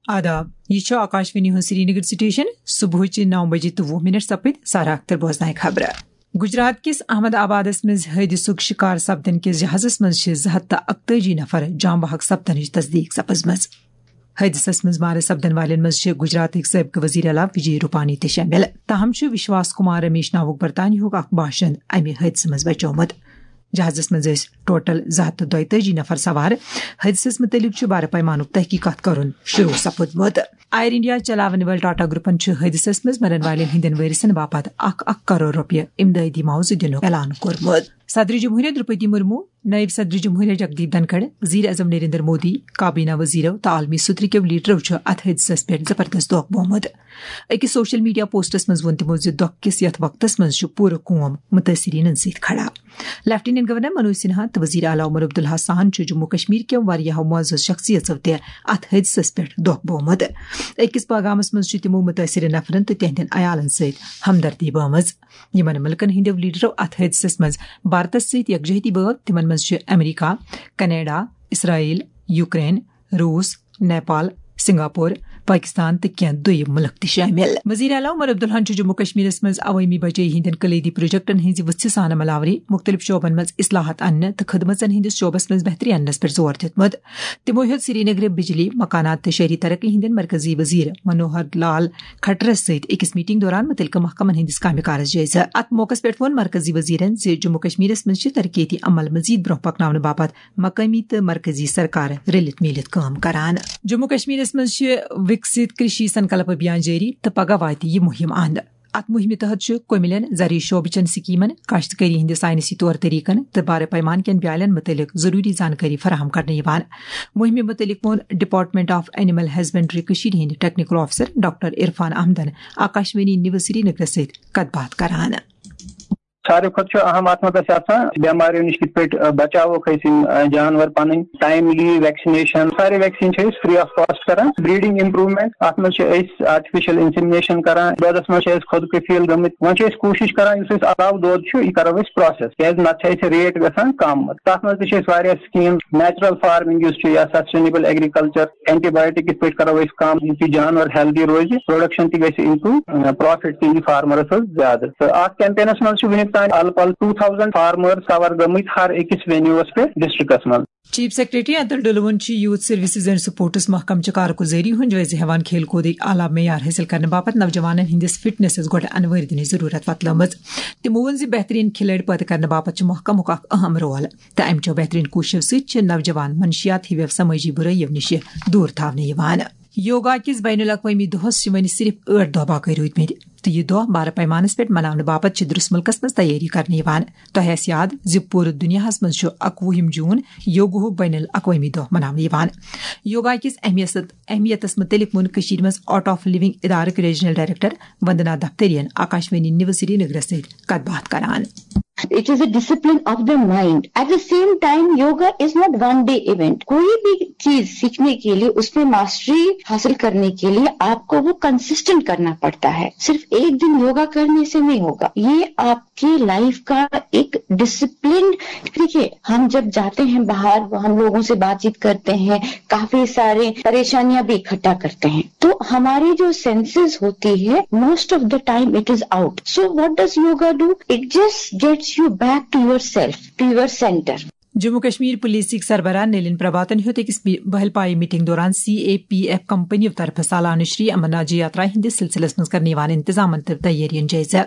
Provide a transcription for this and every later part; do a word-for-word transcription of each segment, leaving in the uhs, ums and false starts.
آداب، یہِ چھُ آکاشوانی ہُنٛد سرینگر سٹیشن۔ صبحٕچہِ نو بجے تہٕ وُہ منٹ سپٕدۍ۔ سارا اختر بوزنایہِ خبرٕ۔ گجرات کِس احمد آبادس منٛز حٲدثُک شِکار سپدن کِس جہازس منٛز چھِ زٕ ہتھ تہٕ اکتٲجی نفر جام بحق سپدنٕچ تصدیق سپٕزمٕژ۔ حٲدثس منٛز مارٕ سپدن والٮ۪ن منٛز چھِ گجراتٕکۍ سٲبقہٕ وزیر اعلیٰ وجے روپانی تہِ شٲمِل۔ تاہم چھُ وشواس کمار رمیش ناوُک برطانیہُک اکھ باشند امہِ حٲدثہٕ منٛز بچیومُت۔ جہازس منٛز ٲسۍ ٹوٹل زٕ ہتھ تہٕ دۄیتٲجی نفر سوار۔ حٲدثس مُتعلق چھُ بارٕ پیمانُک تحقیقات کرُن شروع سپُدمُت۔ ایئر انڈیا چلاون وٲلۍ ٹاٹا گروپن چھُ حٲدثس منٛز مرن والٮ۪ن ہٕنٛدٮ۪ن وٲرثن باپتھ اکھ اکھ کرور رۄپیہِ امدادی معاوضہٕ دِنُک اعلان کوٚرمُت۔ صدر جمہوریہ درپتی مرمو، نائب صدر جمہوریہ جگدیپ دھنکھڑ، وزیر اعظم نریندر مودی، کابینہ وزیرو تہٕ عالمی سطح کیو لیڈرو چھُ اتھ حٲدثس پٮ۪ٹھ زبردست دۄکھ بومُت۔ أکِس سوشل میڈیا پوسٹس منٛز ووٚن تِمو زِ دۄکھ کِس یتھ وقتس منٛز چھُ پوٗرٕ قوم متٲثریٖنن سۭتۍ کھڑا۔ لیفٹیننٹ گورنر منوج سنہا تہٕ وزیر اعلیٰ عمر عبداللہ سان چھُ جموں کشمیر کٮ۪و واریاہو معزز شخصیژو تہِ اتھ حٲدثس پٮ۪ٹھ دۄکھ بومُت۔ أکِس پیغامس منٛز چھُ تِمو متٲثرٕ نفرن تہٕ تِہنٛدٮ۪ن عیالن سۭتۍ ہمدردی بٲومٕژ۔ یِمن مُلکن ہٕنٛدٮ۪و لیڈرو اتھ حٲدثس منٛز بھارتس سۭتۍ یکجہتی بٲو، تِمن منٛز چھِ امریکہ، کینیڈا، اسرائیل، یوکرین، روس، نیپال، سنگاپور، پاکستان تہٕ کینٛہہ دوٚیم مُلک تہِ شٲمِل۔ وزیر اعلیٰ عمر عبداللہن چھُ جموں کشمیرس منٛز عوٲمی بچٲیی ہٕنٛدٮ۪ن کلیدی پروجیکٹن ہٕنٛزِ وُژھِ سانہٕ عملاوری، مُختٔلِف شعبن منٛز اصلاحات اننہٕ تہٕ خدمژن ہٕنٛدِس شعبس منٛز بہتری اننس پٮ۪ٹھ زور دیُتمُت۔ تِمو ہیوٚت سرینگرٕ بجلی، مکانات تہٕ شہری ترقی ہٕنٛدٮ۪ن مرکزی وزیر منوہر لال کھٹرس سۭتۍ أکِس میٹنگ دوران مُتعلقہٕ محکمن ہٕنٛدِس کامہِ کارس جٲیزٕ۔ اتھ موقعس پٮ۪ٹھ ووٚن مرکزی وزیرن زِ جموں کشمیرس منٛز چھِ ترقیتی عمل مزید برونٛہہ پکناونہٕ باپتھ مقٲمی تہٕ مرکزی سرکار رٔلِتھ میٖلِتھ کٲم کران۔ جموں کشمیرس منٛز چھِ وِکسِت کرشی سنکلپ ابھیان جٲری تہٕ پگاہ واتہِ یہِ مُہِم اند۔ اتھ مُہِمہِ تحت چھُ کُمِلٮ۪ن زرعی شعبہٕ چٮ۪ن سکیمن، کاشتکٲری ہٕنٛدِ ساینسی طور طریقن تہٕ بارٕ پیمان کٮ۪ن بیالٮ۪ن مُتعلق ضروٗری زانکٲری فراہم کرنہٕ یِوان۔ مُہِمہِ مُتعلق ووٚن ڈپارٹمنٹ آف اینیمل ہسبنڈری کٔشیٖرِ ہٕنٛدۍ ٹیکنیکل آفیسر ڈاکٹر عرفان احمدن آکاشوانی نیوز سرینگرس سۭتۍ کتھ باتھ کران۔ ساروی کھۄتہٕ چھُ اہم اتھ منٛز اَسہِ آسان بیماریو نِش کِتھ پٲٹھۍ، آ، بچاووکھ أسۍ یِم، آ، جانور پنٕنۍ، ٹایملی ویکسِنیشن، سارے ویکسیٖن چھِ أسۍ فری آف کاسٹ کران۔ بریڈنگ امپروومنٹ، اتھ منٛز چھِ أسۍ آرٹیفیشل انسیمنیشن کران، دۄدس منٛز چھِ أسۍ خود کفیل گٔمٕتۍ۔ وۄنۍ چھِ أسۍ کوٗشش کران یُس أسۍ علاوٕ دۄد چھُ یہِ کرو أسۍ پروسیس، کیازِ نتہٕ چھِ اَسہِ ریٹ گژھان کم۔ تتھ منٛز تہِ چھِ أسۍ واریاہ سکیٖم، نیچرل فارمنگ یُس چھُ یا سسٹینیبل ایگریکلچر، اینٹی بایوٹک کِتھ پٲٹھۍ کرو أسۍ کم، یُتھ یہِ جانور ہیلدی روزِ، پروڈکشن تہِ گژھِ امپروو، پروفٹ تہِ یی فارمرس حظ زیادٕ۔ تہٕ اتھ کیمپینس منٛز چھِ وُنیُک تام الہٕ پلہٕ ٹوٗ تھاوزنڈ فارمر کور گٔمٕتۍ ہر أکِس وینیوس پٮ۪ٹھ ڈسٹرکٹس منٛز۔ چیف سیکرٹری اتل ڈلوُن چھُ یوتھ سروسز اینڈ سپورٹس محکمہٕ چہِ کارگزٲری ہُنٛد جٲیزٕ ہٮ۪وان کھیل کوٗدٕکۍ اعلیٰ معیار حٲصِل کرنہٕ باپتھ نوجوانن ہٕنٛدِس فٹنسس گۄڈٕ انوٲرۍ دِنٕچ ضروٗرت وۄتلٲومٕژ۔ تِمو ووٚن زِ بہتریٖن کھلٲڑۍ پٲدٕ کرنہٕ باپتھ چھُ محکمُک اکھ اہم رول، تہٕ امہِ چو بہتریٖن کوٗششو سۭتۍ چھِ نوجوان منشیات ہِوٮ۪و سمٲجی بُرٲیِو نِشہِ دوٗر تھاونہٕ یِوان۔ یوگا کِس بین الاقوٲمی دۄہس چھِ وۄنۍ صرف ٲٹھ دۄہ باقٕے روٗدمٕتۍ، تہٕ یہِ دۄہ بارٕ پیمانس پٮ۪ٹھ مناونہٕ باپتھ چھِ درس مُلکس منٛز تیٲری کرنہٕ یِوان۔ تۄہہِ آسہِ یاد زِ پوٗرٕ دُنیاہس منٛز چھُ اکوُہِم جوٗن یوگاہُک بین الاقوٲمی دۄہ مناونہٕ یِوان۔ یوگا کِس اہمیت، اہمیتس مُتعلق ووٚن کٔشیٖرِ منٛز آرٹ آف لِونگ ادارٕک ریجنل ڈائریکٹر وندنا دفتریَن آکاشوانی نیوز سرینگرس سۭتۍ کتھ باتھ کران۔ It is a discipline of the mind. At the same time, yoga is not one day event. कोई भी चीज सीखने के लिए, उसमें मास्टरी हासिल करने के लिए आपको वो कंसिस्टेंट करना पड़ता है। सिर्फ एक दिन योगा करने से नहीं होगा, ये आपके लाइफ का एक डिसिप्लिन। देखिए, हम जब जाते हैं बाहर, हम लोगों से बातचीत करते हैं, काफी सारे परेशानियां भी इकट्ठा करते हैं, तो हमारी जो सेंसेस होती है, most of the time it is out. So what does yoga do? It just gets you back to yourself, to your center. Jammu Kashmir پولیسٕکۍ سربراہ نلین پربھاتن ہیوٚت أکِس بی-، بہل پایہِ میٹنگ دوران C A P F company طرفہٕ سالانہٕ شری امرناتھ جی یاترا ہٕنٛدِس سلسلس منٛز کرنہٕ یِوان انتظامن تہٕ تیٲرین جٲیزٕ۔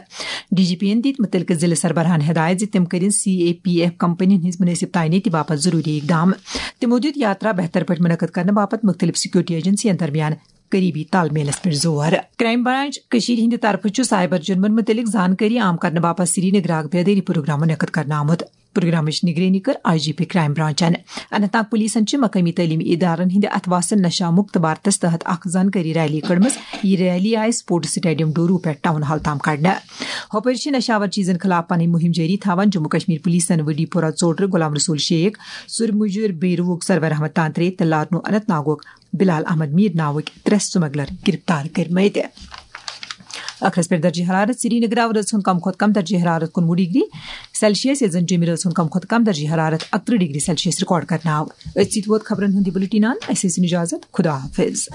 ڈی جی پی یَن دِتۍ مُتعلقہٕ ضلعہٕ سربراہن ہدایت زِ تِم کٔرِن C A P F company ہٕنٛز مناسب تعینٲتی باپتھ ضروٗری اقدام۔ تِمو دِیُت یاترا بہتر پٲٹھۍ منعقد کرنہٕ باپتھ مُختٔلِف سیکورٹی ایجنسین درمیان قریبی تال میلس پٮ۪ٹھ زور۔ کرائم برانچ کٔشیٖرِ ہٕنٛدِ طرفہٕ چھُ سائبر جرمن مُتعلق زانکٲری عام کرنہٕ باپتھ سرینگرٕ اکھ بیدٲری پروگرام منعقد کرنہٕ آمُت۔ پروگرامٕچ نگرٲنی کٔر I G P crime برانچن۔ Anant Nag پولیسن چھِ مقٲمی تعلیمی ادارن ہٕنٛدِ اتھٕ واسن نشہ مکت بھارتس تحت اکھ زانکٲری ریلی کٔڑمٕژ۔ یہِ ریلی آیہِ سپورٹس سٹیڈیم ڈورو پٮ۪ٹھ ٹاؤن ہال تام کڑنہٕ۔ ہۄپٲرۍ چھِ نشہ آور چیزن خلاف پنٕنۍ مُہِم جٲری تھاوان۔ جموں کشمیر پولیسن وڈی پورہ ژوٹرٕ غلام رسول شیخ، سُر مُجر بیروُک سرور احمد تانترے تہٕ لارنو اننت ناگُک بلال احمد میر ناوٕکۍ ترٛےٚ سمگلر گرفتار کٔرمٕتۍ۔ ٲخرس پٮ۪ٹھ درجہ حرارت سرینگر آو رٲژ ہُنٛد کم کھۄتہٕ کم درجہ حرارت کُنوُہ ڈگری سیلسیس، ییٚتہِ زن جیٚمہِ رٲژ ہُنٛد کم کھۄتہٕ کم درجہ حرارت اکترٕہ ڈگری سیلسیس ریکارڈ کرنہٕ آو۔ أتھۍ سۭتۍ ووت خبرن ہُنٛد یہِ بُلٹن اند۔ اسہِ ٲسِن اجازت، خدا حافظ۔